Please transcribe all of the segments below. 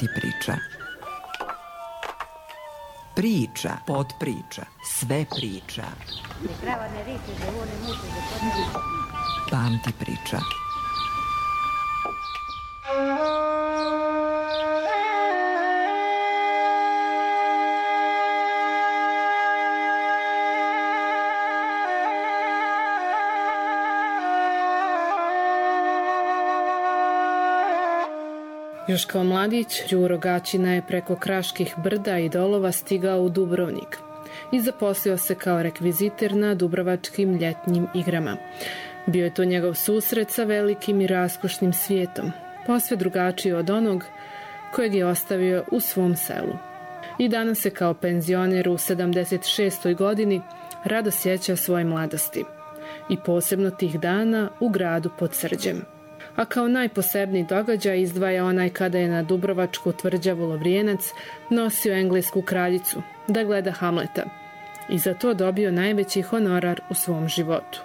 Pamti priča. Priča, podpriča, sve priča. Pamti priča. Još kao mladić, Đuro Gaćina je preko Kraških brda i dolova stigao u Dubrovnik i zaposlio se kao rekviziter na Dubrovačkim ljetnjim igrama. Bio je to njegov susret sa velikim i raskošnim svijetom, posve drugačiji od onog kojeg je ostavio u svom selu. I danas se kao penzioner u 76. godini rado sjeća svoje mladosti i posebno tih dana u gradu pod Srđem. A kao najposebniji događaj izdvaja onaj kada je na Dubrovačku tvrđavu Lovrijenac nosio englesku kraljicu da gleda Hamleta i za to dobio najveći honorar u svom životu.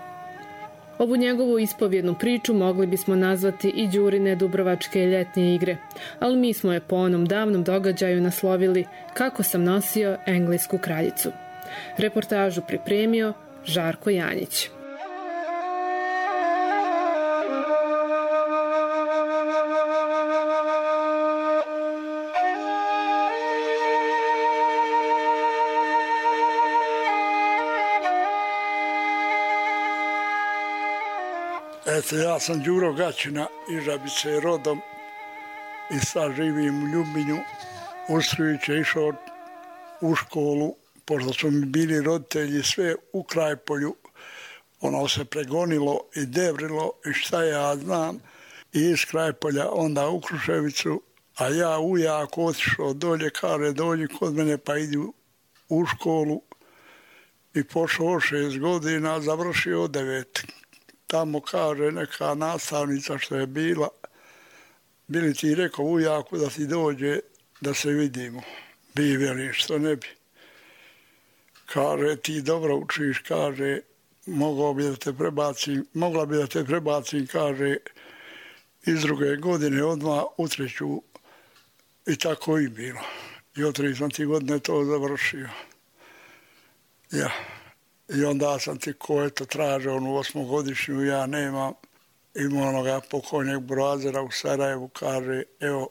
Ovu njegovu ispovjednu priču mogli bismo nazvati i Đurine Dubrovačke ljetnje igre, ali mi smo je po onom davnom događaju naslovili Kako sam nosio englesku kraljicu. Reportažu pripremio Žarko Janjić. Eto, ja sam Đuro Gaćina iz Žabice rodom i sad živim u Ljubinju. Ustrujući je išao u školu, pošto su mi bili roditelji sve u Krajpolju. Ono se pregonilo i devrilo i šta ja znam. I iz Krajpolja onda u Kruševicu, a ja ujako otišao dolje, kaže dođi kod mene pa idu u školu. I pošao 6 godina, završio 9. Tamo kaže neka nastavnica što je bila, bili ti rekao ujaku da ti dođe da se vidimo. Bi veli što ne bi. Kaže ti dobro učiš, kaže mogla bi da te prebacim, kaže iz 2. godine odmah u 3. I tako i bilo. I od 3 godine to završio. Ja. I onda sam ti ko je to tražio, onu 8-godišnju, ja nemam. Ima onoga pokojnjeg Broazera u Sarajevu, kaže, evo,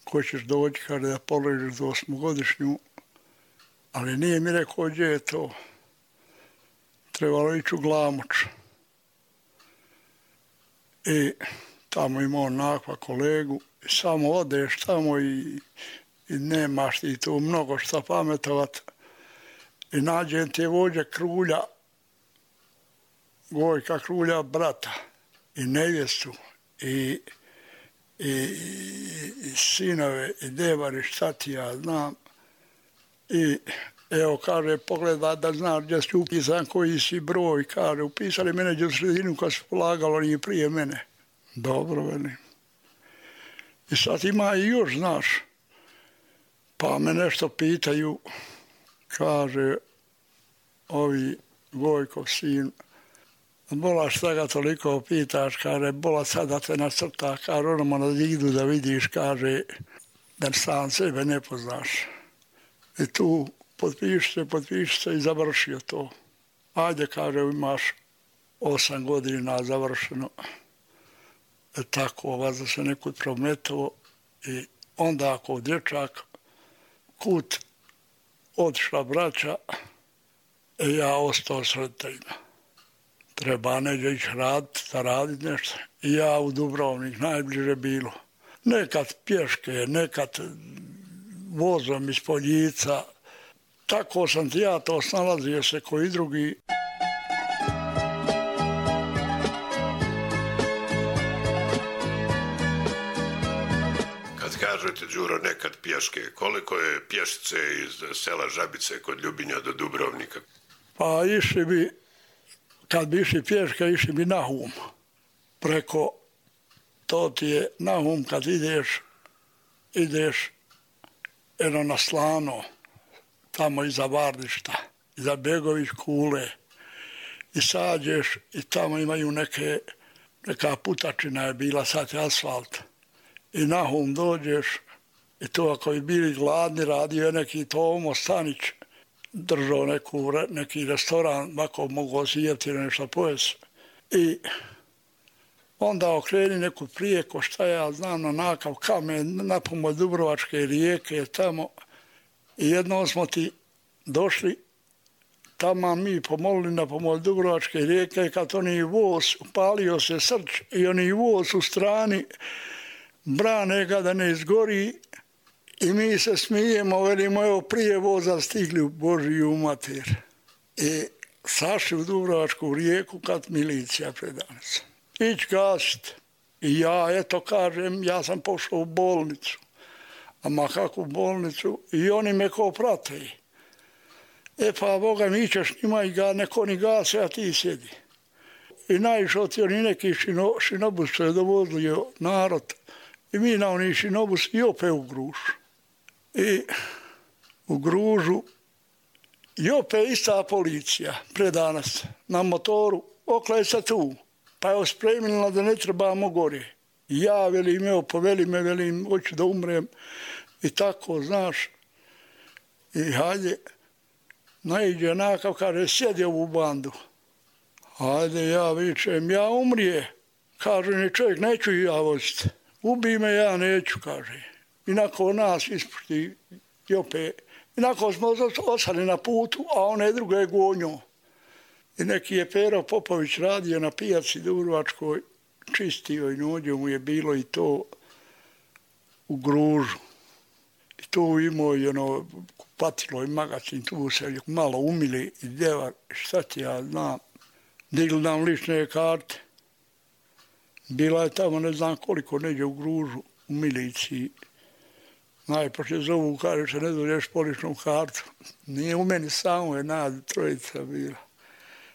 ko ćeš doći, kaže da položiš za 8-godišnju, ali nije mi rekao gdje je to. Trebalo ići u Glamoč. I tamo ima onakva kolegu, i samo odeš tamo i nemaš ti tu mnogo šta pametovat. I nađem te vođe Krulja, Gojka Krulja brata i nevjestu i sinove i devari, šta ti ja znam. I evo kaže, pogleda da znaš gdje si upisan, koji si broj, kaže, upisali mene gdje u sredinu kad se polagalo, nije prije mene. Dobro, velim. I sad ima i još, znaš, pa me nešto pitaju. Kaže, ovi Gojkov sin, bola šta ga toliko pitaš, kaže, bola sad da te nacrta, kaže, onamo na zidu da vidiš, kaže, da sam sebe ne poznaš. I tu potpiši se i završio to. Ajde, kaže, imaš 8 godina završeno. Tako, vas da se nekud prometao i onda ako dječak, kut, otišla braća i ja ostao s roditeljima. Treba neđe ići raditi nešto. I ja u Dubrovnik, najbliže bilo. Nekad pješke, nekad vozom iz Poljica. Tako sam ti ja to snalazio se koji drugi. Kažete, Đuro, nekad pješke. Koliko je pješice iz sela Žabice kod Ljubinja do Dubrovnika? Pa išli bi, kad bi išli pješke, išli bi na Hum. Preko, to ti je na Hum kad ideš eno na Slano, tamo iza Vardišta, iza Begović Kule. I sađeš i tamo imaju neka putačina je bila, sad je asfalt. i nahum dođeš i to ako je bili gladni, radio je neki Tomo Stanić, držao neki restoran, ako mogu osijeti nešto pojesti. I onda okreni neku prijeko, šta ja znam, na nakav kamen, na pomoć Dubrovačke rijeke tamo. I jednom smo ti došli, tamo mi pomolili na pomoć Dubrovačke rijeke, kad oni voz, upalio se srč i oni voz u strani, brane ga da ne izgori i mi se smijemo, velimo, evo prije voza stigli u Božiju mater. I sašli u Dubrovačku rijeku kad milicija predanica. Ić gasit. I ja, eto kažem, ja sam pošao u bolnicu. A kakvu bolnicu? I oni me ko prate. E pa, Boga mi ćeš njima i neko ni gase, a ti sjedi. I naišao ti oni neki šinobus što je dovodili narod. I mi na oni šinobus i opet u Gružu. I u Gružu i opet ista policija predanas na motoru, oklej se tu. Pa je ospremila da ne trebamo gore. I ja, velim, evo, poveli me, velim, hoću da umrem. I tako, znaš. I hajde, naiđe nakav, kaže, sjedi ovu bandu. Hajde, ja vičem, ja umrije. Kaže, ni čovjek, neću i ja voziti. Ubi me, ja neću, kaže. I nakon nas ispušti i opet. I nakon smo ostali na putu, a one druge gonjo. I neki je Pero Popović radio na pijaci Dubrovačkoj, čistio i nođe mu je bilo i to u Gružu. I tu imao i ono kupatilo i magacin, tu se malo umili i deva, šta ti ja znam, digli nam lične karte. Bila je tamo ne znam koliko neđe u Gružu, u miliciji. Najpoče zovu, kaže se ne dođeš po ličnu kartu. Nije u meni samo je trojica bila.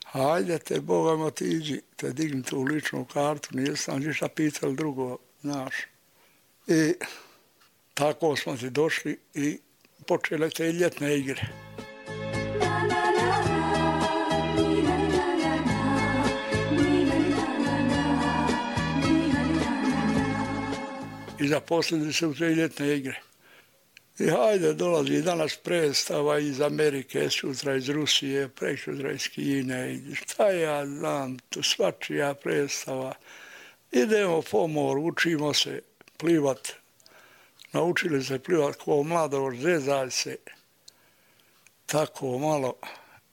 Hajde te, Boga ma ti iđi, te digni tu ličnu kartu, nije sam ništa pitali drugo, znaš. I tako smo ti došli i počele te ljetne igre. I zaposlili se u te ljetne igre. I hajde, dolazi danas predstava iz Amerike, sutra iz Rusije, preksutra iz Kine, i šta ja znam, tu svačija predstava. Idemo po moru, učimo se plivat, naučili se plivat ko mladovoš, zezaj se, tako malo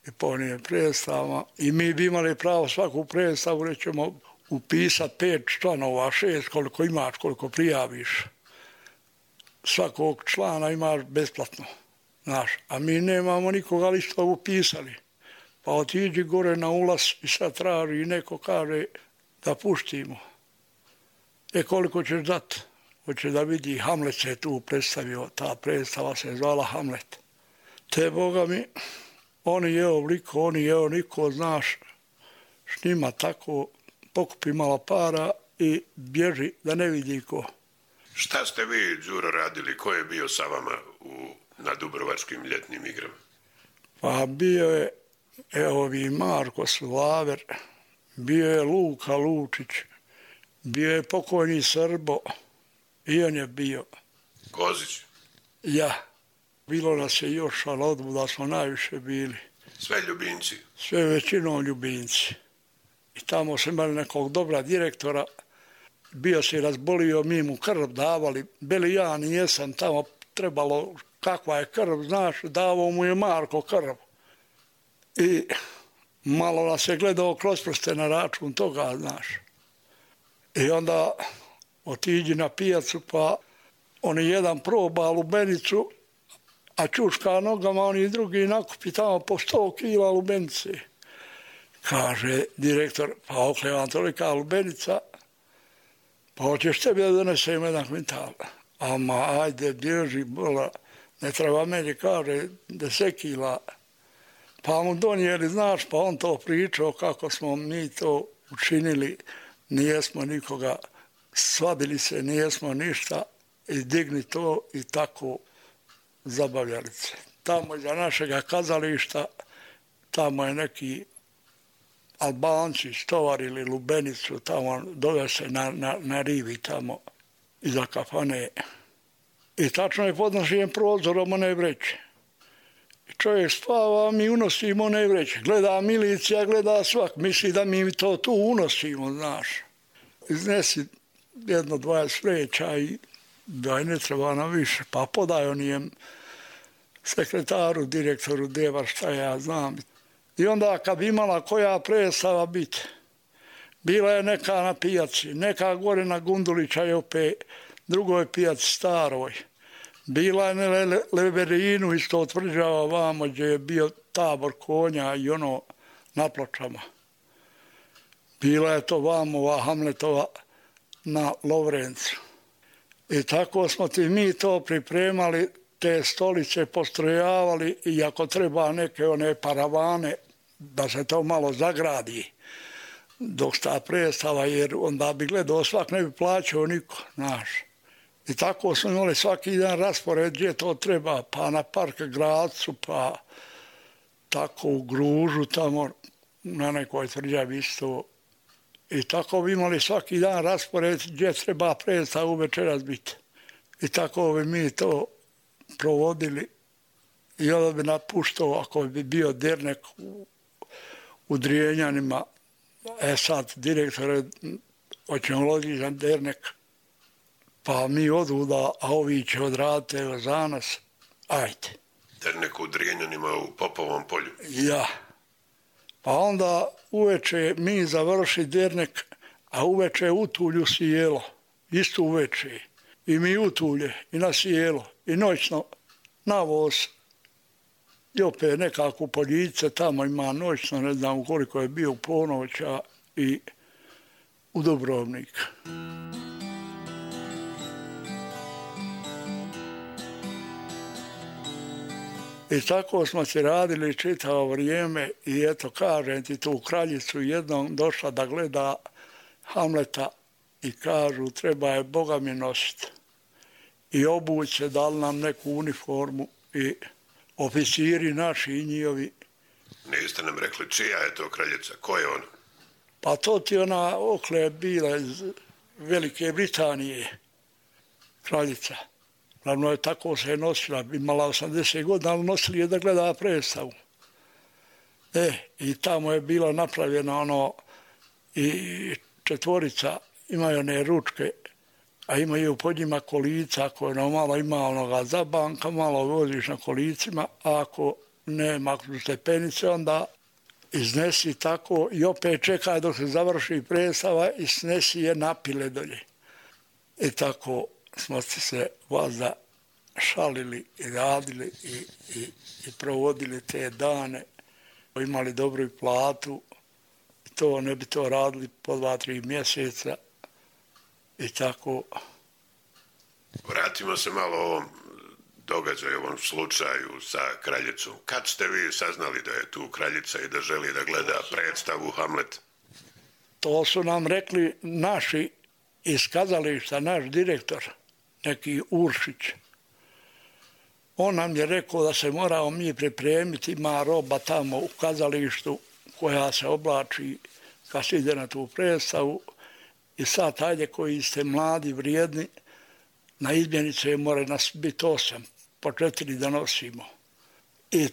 i po njim predstavama. I mi bi imali pravo svaku predstavu, rećemo, upisati 5 članova, 6, koliko imaš, koliko prijaviš. Svakog člana imaš besplatno, znaš, a mi nemamo nikoga li što upisali. Pa otiđi gore na ulaz i sad traži i neko kaže da puštimo. E koliko ćeš dati? Hoće da vidi, Hamlet se tu predstavio, ta predstava se zvala Hamlet. Te, Boga mi, oni je ovliko, oni je oniko, znaš, šnima tako, pokupi malo para i bježi da ne vidi ko. Šta ste vi, Đuro, radili? Ko je bio sa vama na Dubrovačkim ljetnim igrama? Pa bio je, evo vi, Marko Slaver, bio je Luka Lučić, bio je pokojni Srbo, i on je bio. Kozić? Ja. Bilo nas je još, ali odbuda smo najviše bili. Sve ljubimci? Sve većinom ljubimci. I tamo smo imali nekog dobra direktora, bio se razbolio, mi mu krv davali, bili ja nijesam tamo trebalo, kakva je krv, znaš, davao mu je Marko krv. I malo nas je gledao kroz prste na račun toga, znaš. I onda otiđi na pijacu, pa oni jedan proba lubenicu, a čuška nogama, oni drugi nakupi tamo po 100 kila lubenice. Kaže direktor, pa okle vam tolika lubenica, pa hoćeš tebi da donesem jedan kvintal. Ama ajde, bježi, bola, ne treba meni, kaže, 10 kila. Pa mu donijeli, znaš, pa on to pričao kako smo mi to učinili, nijesmo nikoga, svadili se, nijesmo ništa, i digni to i tako zabavljali se. Tamo iza našega kazališta, tamo je neki Albanci stovarili lubenicu, tamo dove se na rivi tamo. iza kafane. I tačno je pod našim prozorom one vreće. I čovjek spava, mi unosimo one vreće. Gleda milicija, gleda svak, misli da mi to tu unosimo, znaš. Iznesi 1-20 vreća i da ne treba nam više, pa podaj onijem sekretaru, direktoru, deva, šta ja znam. I onda kad bi imala koja predstava biti, bila je neka na pijaci, neka gore na Gundulića i opet drugoj pijaci staroj. Bila je na Leverinu isto tvrđava vamo gdje je bio tabor konja i ono na Pločama. Bila je to vamova Hamletova na Lovrencu. I tako smo ti mi to pripremali, te stolice postrojavali i ako treba neke one paravane da se to malo zagradi dok sta predstava, jer onda bi gledao svak, ne bi plaćao niko, znaš. I tako smo imali svaki dan raspored gdje to treba, pa na Park Gradcu, pa tako u Gružu tamo na nekoj tvrđavi isto. I tako bi imali svaki dan raspored gdje treba predstavu večeras biti. I tako bi mi to provodili i onda bi napuštao ako bi bio dernek u Drijenjanima. Sad direktor je hoćemo logičan dernek, pa mi oduda, a ovi će odraditi za nas, ajde. Dernek u Drijenjanima u Popovom polju? Ja. Pa onda uveče mi završi dernek, a uveče utulju sjelo, isto uveče. I mi utulje i na sjelo i noćno na voz. I opet nekako poljice tamo ima noćno, ne znam koliko je bio u ponoća i u Dubrovnik. I tako smo se radili čitavo vrijeme i eto kažem ti tu kraljicu jednom došla da gleda Hamleta i kažu treba je Boga mi nositi. I obuće, dali nam neku uniformu i oficiri naši i njihovi. Niste nam rekli čija je to kraljica, ko je ona? Pa to ti ona okle bila iz Velike Britanije, kraljica. Glavno je tako se nosila, imala 80 godina, ali nosili je da gleda predstavu. I tamo je bila napravljena ono i četvorica, imaju one ručke, a imaju pod njima kolica, ako je malo ima onoga zabanka, malo voziš na kolicima, a ako nema stepenice, onda iznesi tako i opet čekaj dok se završi predstava i snesi je napile dolje. I tako smo se vazda šalili i radili i provodili te dane. Imali dobru platu, to ne bi to radili po 2-3 mjeseca i tako. Vratimo se malo ovom događaju, ovom slučaju sa kraljicom. Kad ste vi saznali da je tu kraljica i da želi da gleda predstavu Hamlet? To su nam rekli naši iz kazališta, naš direktor, neki Uršić. On nam je rekao da se moramo mi pripremiti, ima roba tamo u kazalištu koja se oblači kad se ide na tu predstavu i sad ajde koji ste mladi, vrijedni, na izmjenice mora nas biti 8, po 4 da nosimo. I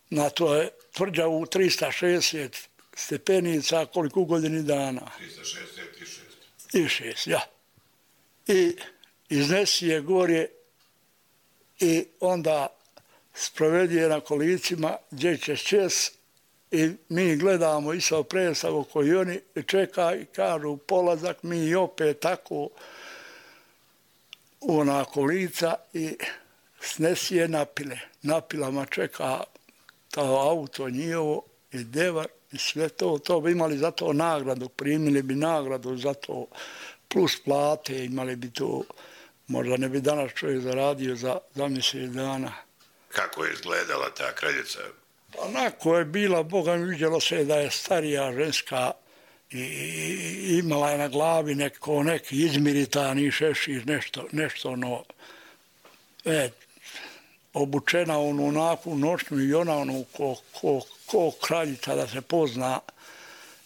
na to je tvrđavu 360 stepenica koliko u godini dana. 366. I 6, ja. I iznesi je gore i onda sprovedi je na kolicima gdje će čes i mi gledamo isto predstavu koju oni čeka i kažu polazak, mi opet tako ona kolica i snesi je napile. Napilama čeka to auto njihovo i devar i sve to. To bi imali za to nagradu, primili bi nagradu za to plus plate, imali bi to. Možda ne bi danas čovjek zaradio za mjesec dana. Kako je izgledala ta kraljica? Onako je bila, Boga mi vidjelo se da je starija ženska i imala je na glavi neki izmiritani šešir, nešto ono, obučena onu onakvu noćnu i ona ono ko kraljica da se pozna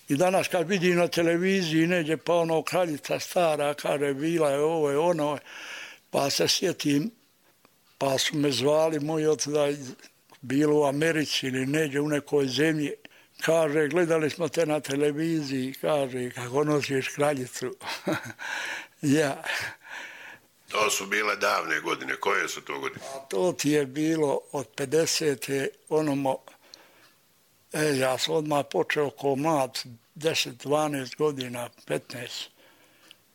I danas kad vidim na televiziji neđe pa ono kraljica stara, kaže bila je ovo je ono, pa se sjetim, pa su me zvali moji otuda, bilo u Americi ili neđe u nekoj zemlji, kaže gledali smo te na televiziji, kaže kako nosiš kraljicu. Ja. To su bile davne godine, koje su to godine? A to ti je bilo od 50. onomo, ja sam odmah počeo ko mlad, 10, 12 godina, 15,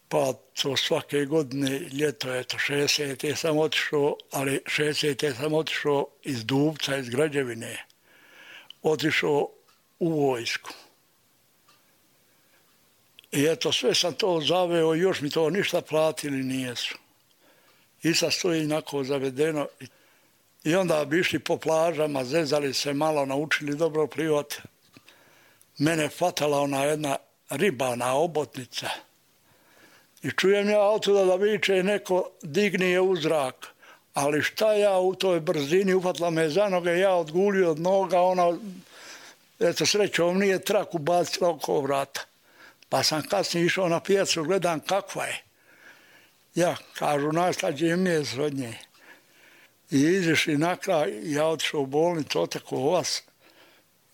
pa to svake godine, ljeto je to 60. sam otišao, ali 60. sam otišao iz Dubca, iz Građevine, otišao u vojsku. I eto, sve sam to zaveo, još mi to ništa platili nijesu. I sad stoji inako zavedeno. I onda bi išli po plažama, zezali se malo, naučili dobro plivat. Mene fatala ona jedna ribana obotnica. I čujem ja otuda da viče neko digni je u zrak. Ali šta ja u toj brzini, ufatla me za noge, ja odgulio od noga, ona, eto srećom, nije traku bacila oko vrata. Pa sam kasnije išao na pijacu, gledam kakva je. Ja, kažu, najslađe mjesto od nje. I izišli na kraj, ja otišao u bolnicu, oteko vas.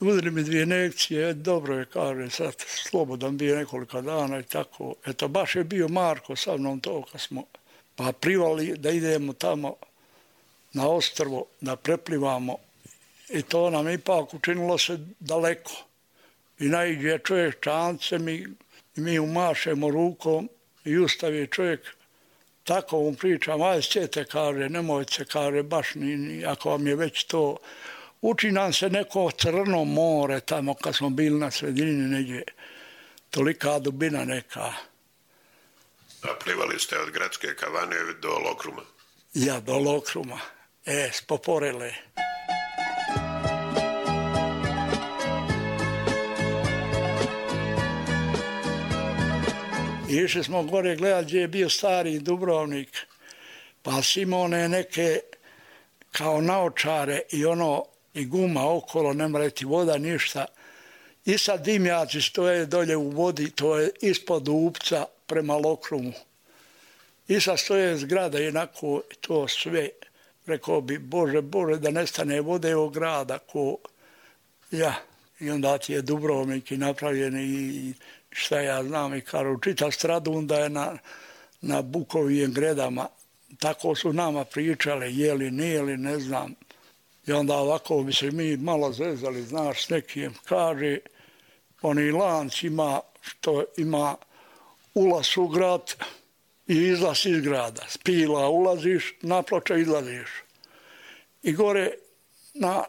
Udri mi 2 injekcije, dobro je, kaže, sad slobodan bio nekoliko dana i tako. Eto, baš je bio Marko sa mnom to kad smo pa privali da idemo tamo na ostrvo, da preplivamo. I to nam ipak učinilo se daleko. I naiđe čovjek čancem i mi umašemo rukom i ustavi čovjek. Tako mu pričam, aj sjete, kaže, nemojte se, kaže, baš ni, ako vam je već to. Uči nam se neko crno more tamo kad smo bili na sredini negdje. Tolika dubina neka. A plivali ste od Gradske kavane do Lokruma? Ja, do Lokruma. S Poporele. Išli smo gore gledati gdje je bio stari Dubrovnik, pa si imao one neke kao naočare i ono i guma okolo, ne mora ti voda ništa. I sad dimnjaci stoje dolje u vodi, to je ispod Dubca prema Lokrumu. I sad stoje zgrada jednako to sve, rekao bi Bože, Bože da nestane vode od grada ko ja. I onda ti je Dubrovnik i napravljen i šta ja znam i kažu, čita Stradun da je na Bukovijim gredama. Tako su nama pričale, jeli, nijeli, ne znam. I onda ovako bi se mi malo zezali, znaš, s nekim. Kaže, oni lanc ima, što ima ulaz u grad i izlaz iz grada. S Pila ulaziš, na Ploče izlaziš. I gore na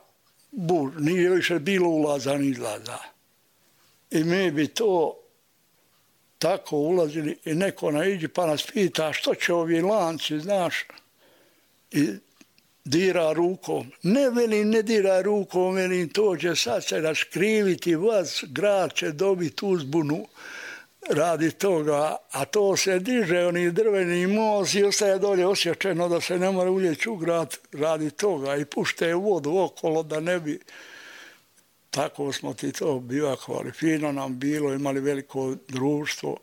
Bur, nije više bilo ulaza ni izlaza. I mi bi to tako ulazili i neko naiđi pa nas pita što će ovi lanci, znaš, i dira rukom. Ne velim, ne dira rukom, velim, to će sad se raškriviti vas, grad će dobiti uzbunu radi toga, a to se diže, oni drveni most i ostaje dolje osječeno da se ne mora uljeći u grad radi toga i pušte vodu okolo da ne bi. Tako smo ti to bivakovali. Fino nam bilo, imali veliko društvo,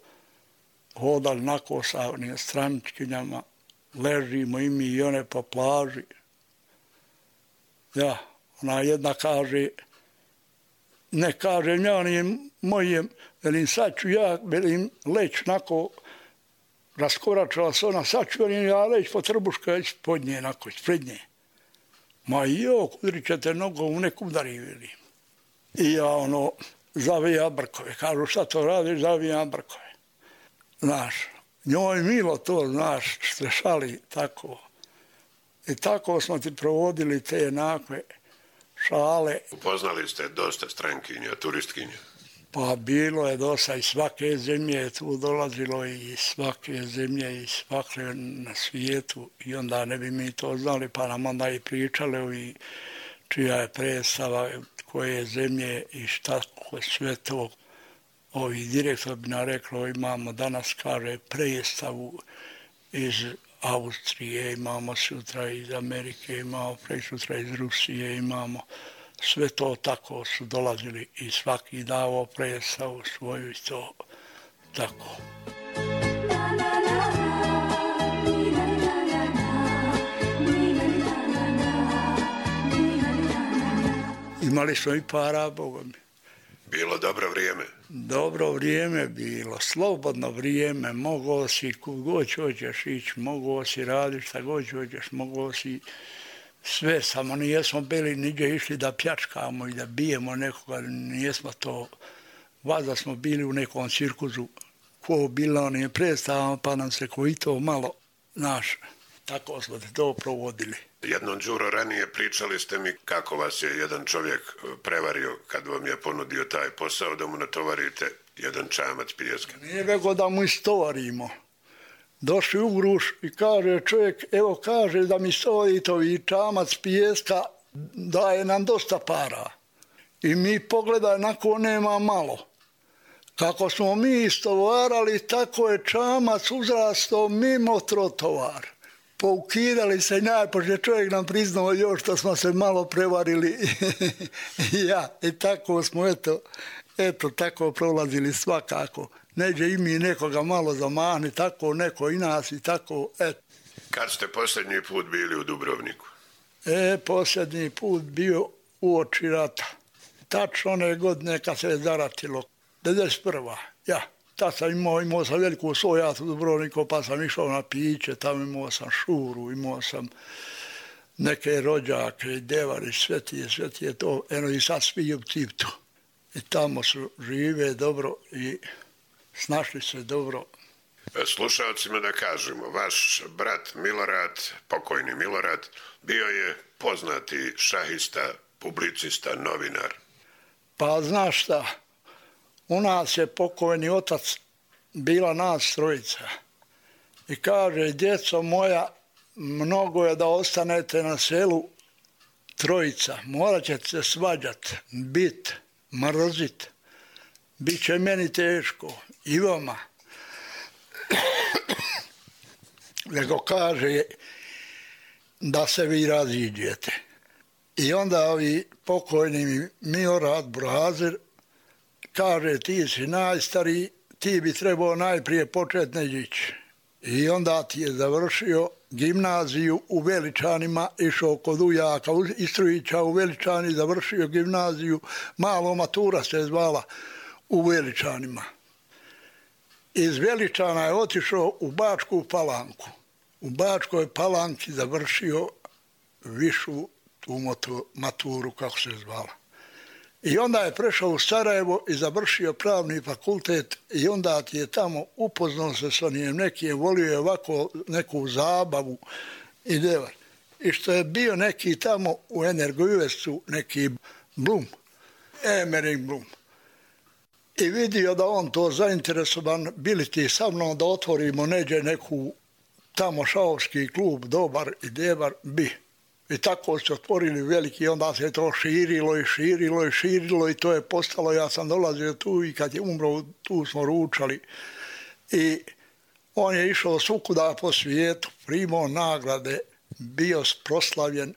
hodali nako sa straničkinjama, ležimo i mi i one po plaži. Ja, ona jedna kaže, ne kažem ja ni mojem, velim sad ću ja, velim leć nako, raskoračila se ona, sad ću ja leć po trbuška ispod nje, nako, ispred nje. Ma jok, udrit ćete nogom u neku udari, velim. I ja ono, zavijam brkove. Kažu šta to radiš, zavijam brkove. Znaš, njoj milo to, znaš, ste šali tako. I tako smo ti provodili te jednakve šale. Upoznali ste dosta strankinja, turistkinja? Pa bilo je dosta i svake zemlje je tu dolazilo i svake zemlje i svake na svijetu. I onda ne bi mi to znali, pa nam onda i pričali i čija je predstava, koje zemlje i šta sve to. Ovi direktor bi nam reklo, imamo danas, kaže, predstavu iz Austrije, imamo sutra iz Amerike, imamo presutra iz Rusije, imamo sve to tako su dolazili i svaki davo predstavu svoju i to tako. Imali smo i para, Boga mi. Bilo dobro vrijeme. Dobro vrijeme bilo, slobodno vrijeme, mogao si kud god hoćeš ići, mogao si raditi šta god hoćeš, mogao si sve, samo nijesmo bili niđe išli da pljačkamo i da bijemo nekoga, nijesmo to, valjda smo bili u nekom cirkuzu, ko bilo onim predstavama, pa nam se koji to malo naš, tako smo to provodili. Jednom, Đuro, ranije pričali ste mi kako vas je jedan čovjek prevario kad vam je ponudio taj posao da mu natovarite jedan čamac pijeska. Nije vego da mu istovarimo. Došli u Gruš i kaže čovjek, evo kaže da mi stovarite ovi čamac pijeska, daje nam dosta para. I mi pogledaj, nako nema malo. Kako smo mi istovarali, tako je čamac uzrastao mimo trotovar. Poukidali se i najposlije čovjek nam priznao još što smo se malo prevarili. I tako smo, eto, tako prolazili svakako. Neđe i mi nekoga malo zamahni, tako neko i nas i tako, eto. Kad ste posljednji put bili u Dubrovniku? Posljednji put bio uoči rata. Tačno one godine kad se je zaratilo, 91. ja. Tad sam imao sam veliku svojatu u Dubrovniku, pa sam išao na piće, tamo imao sam šuru, imao sam neke rođake i devari, sve ti je to, eno i sad svi u Ciptu. I tamo su žive dobro i snašli se dobro. Slušalcima da kažemo, vaš brat Milorad, pokojni Milorad, bio je poznati šahista, publicista, novinar. Pa znaš šta, u nas je pokojni otac bila nas trojica i kaže, djeco moja, mnogo je da ostanete na selu trojica, morat ćete se svađat, bit, mrzit, bit će meni teško i vama. Nego kaže da se vi raziđete. I onda ovi pokojni Milorad Burazer kaže, ti si najstariji, ti bi trebao najprije početi neđići. I onda ti je završio gimnaziju u Veličanima, išao kod ujaka Istrujića u Veličani, završio gimnaziju, malo matura se zvala u Veličanima. Iz Veličana je otišao u Bačku Palanku. U Bačkoj Palanki završio višu tu maturu, kako se zvala. I onda je prešao u Sarajevo i završio pravni fakultet i onda ti je tamo upoznao se s onim, neki je volio je ovako neku zabavu i devar. I što je bio neki tamo u Energojuvestu, neki Blum, Emering Blum. I vidio da on to zainteresovan, bili ti sa mnom da otvorimo neđe neku tamo šahovski klub, dobar i devar, bi. I tako se otvorili veliki, onda se to širilo i to je postalo, ja sam dolazio tu i kad je umro, tu smo ručali. I on je išao svukuda po svijetu, primao nagrade, bio proslavljen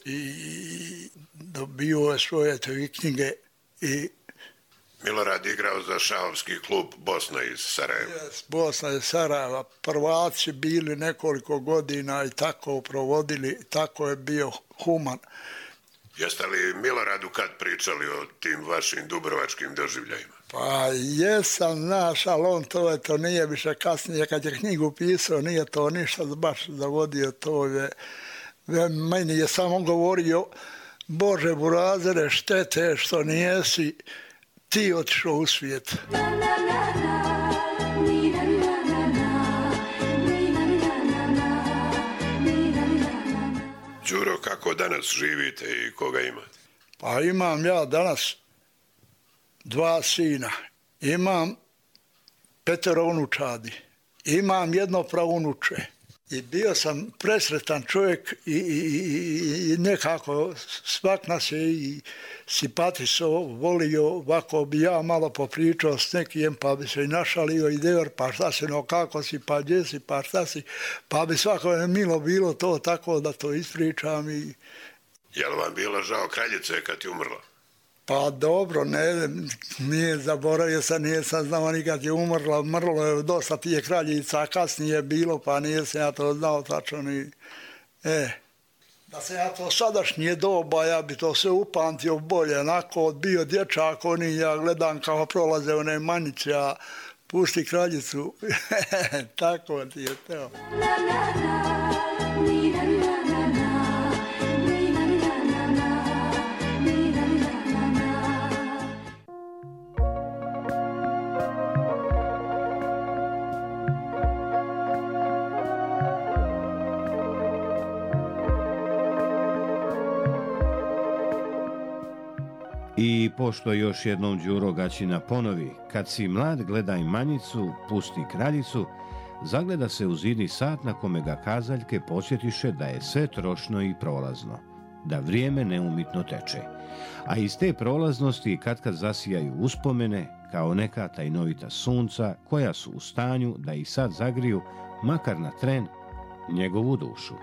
i dobio je svoje knjige. I Milorad igrao za šahovski klub Bosna iz Sarajeva. Bosna iz Sarajeva. Prvaci bili nekoliko godina i tako provodili, tako je bio human. Jeste li Miloradu kad pričali o tim vašim dubrovačkim doživljajima? Pa jesam, znaš, ali on to nije više kasnije, kad je knjigu pisao, nije to ništa baš zavodio, to je, meni je samo govorio, Bože Burazere, štete što nijesi ti otišao u svijet. Đuro, kako danas živite i koga imate? Pa imam ja danas 2 sina, imam 5 unučadi, imam 1 praunuče. I bio sam presretan čovjek i nekako svak nas je i simpatisao, volio, ovako bi ja malo popričao s nekim, pa bi se i našalio i dever, pa šta se, no kako si, pa gdje si, pa šta si, pa bi svako je milo bilo to tako da to ispričam Je li vam bilo žao kraljice kad je umrla? Pa dobro, nije zaboravio se, nisam znao nikad je umrla, mrlo je dosta tije kraljica, a kasnije je bilo, pa nisam ja to znao tačno ni... Da se ja to sadašnje doba, ja bi to sve upamtio bolje, onako bio dječak, oni ja gledam kao prolaze one manice, a pusti kraljicu, tako ti je teo. I pošto još jednom Đuro Gaćina ponovi, kad si mlad gledaj manjicu, pusti kraljicu, zagleda se u zidni sat na kome ga kazaljke podsjetiše da je sve trošno i prolazno, da vrijeme neumitno teče. A iz te prolaznosti kad zasijaju uspomene kao neka tajnovita sunca koja su u stanju da i sad zagriju, makar na tren, njegovu dušu.